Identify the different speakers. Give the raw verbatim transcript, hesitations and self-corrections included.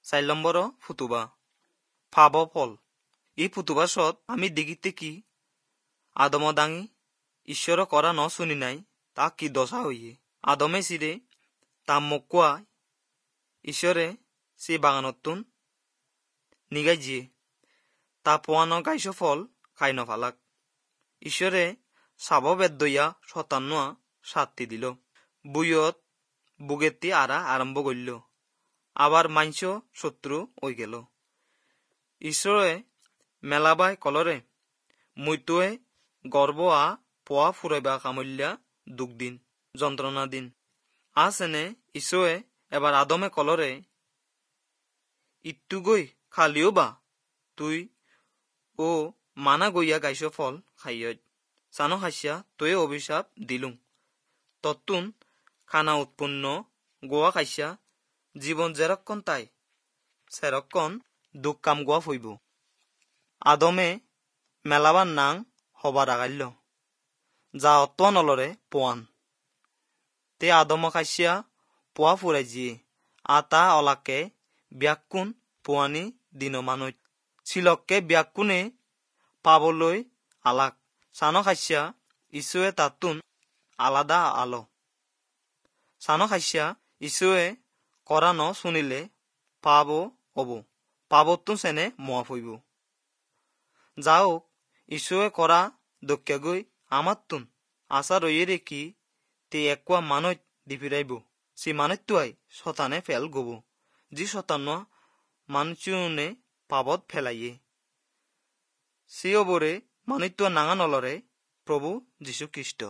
Speaker 1: চাৰি নম্বৰ ফুতুবা ফাব ফল। এই ফুতুবাসত আমি দেখিতে কি আদম দাঙি ঈশ্বৰ কৰা ন শুনি নাই তা কি দশা হইয়ে। আদমে চিৰে তা মকুয়া ঈশ্বৰে সে বাগানতুন নিগাই জিয়ে তা পোৱানো গাইছ ফল খাই নফালাক। ঈশ্বৰে চাব বেদ দইয়া শতান্ন শাস্তি দিল। বুইয়ত বুগেতি আরা আরম্ভ করিল, আবার মাংস শত্রু হয়ে গেল। ঈশ্বরে মেলাবাই কলরে মুইতুয়ে গর্ব আ পোয়া ফুরাইবা কামল্যা দুখ দিন যন্ত্রণা দিন আসেনে। ঈশ্বরে এবার আদমে কলরে ইত্যু গই খালিও বা তুই ও মানা গইয়া গাইছ ফল খাইয় চানো খাইছিয়া তই অভিশাপ দিলুং তত্তুন খানা উৎপন্ন গোয়া খাইছিয়া জীবন যেরক্ষণ তাই সেরক্ষণ দুঃখ কাম গোয়া ফইব। আদমে মেলাবার নাং হবার আগাইল যা অত্তোয়া নলরে পোয়ান তে আদম খাইছিয়া পোয়া ফুরাই জিয়ে আতা অলাকে ব্যাকুণ পোৱানি দিন মানুহ চিলককে ব্যাকুণে পাবলৈ আলাক চান খাইছিয়া ঈশ্বৰে তাতুন আলাদা আলো চান খাইছিয়া ঈশ্বৰে কৰা ন শুনিলে পাব হব পাবতুন চেনে মোৱা ফইব। যাওক ঈশ্বৰে কৰা দক্ষাগৈ আমাৰতুন আশা ৰয়ে ৰেখি তে একোৱা মানুহ দি ফিৰাইব সি মানুহটোৱাই শতানে ফেল গব যি শতান মানুচুনে পাবত ফেলাইয়ে সি অবৰে মানুহটোৱা নাঙা নলৰে প্ৰভু যীশুখ্ৰীষ্ট।